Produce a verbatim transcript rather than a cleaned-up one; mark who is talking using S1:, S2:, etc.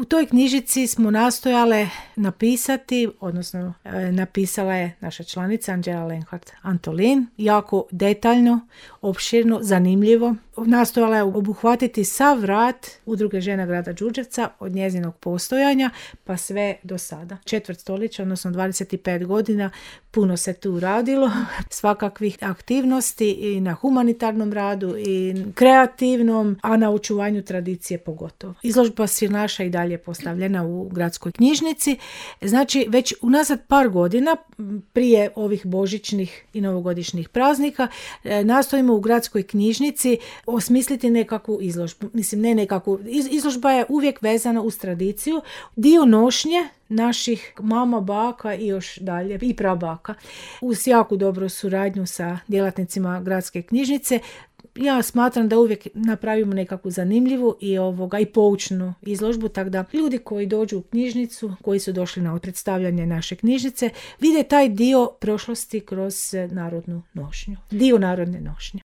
S1: U toj knjižici smo nastojale napisati, odnosno e, napisala je naša članica Anđela Lenhart Antolin, jako detaljno, opširno, zanimljivo. Nastojala je obuhvatiti sav rad Udruge žena grada Đurđevca od njezinog postojanja pa sve do sada. Četvrt stoljeća, odnosno dvadeset pet godina, puno se tu radilo, svakakvih aktivnosti i na humanitarnom radu i kreativnom, a na očuvanju tradicije pogotovo. Izložba Sirnaša i dalje je postavljena u gradskoj knjižnici. Znači, već unazad par godina, prije ovih božićnih i novogodišnjih praznika, nastojimo u gradskoj knjižnici osmisliti nekakvu izložbu. Mislim, ne nekakvu. Izložba je uvijek vezana uz tradiciju. Dio nošnje naših mama, baka i još dalje, i prabaka. Uz jako dobru suradnju sa djelatnicima gradske knjižnice, ja smatram da uvijek napravimo nekakvu zanimljivu i ovoga i poučnu izložbu, tako da ljudi koji dođu u knjižnicu, koji su došli na predstavljanje naše knjižnice, vide taj dio prošlosti kroz narodnu nošnju. Dio narodne nošnje.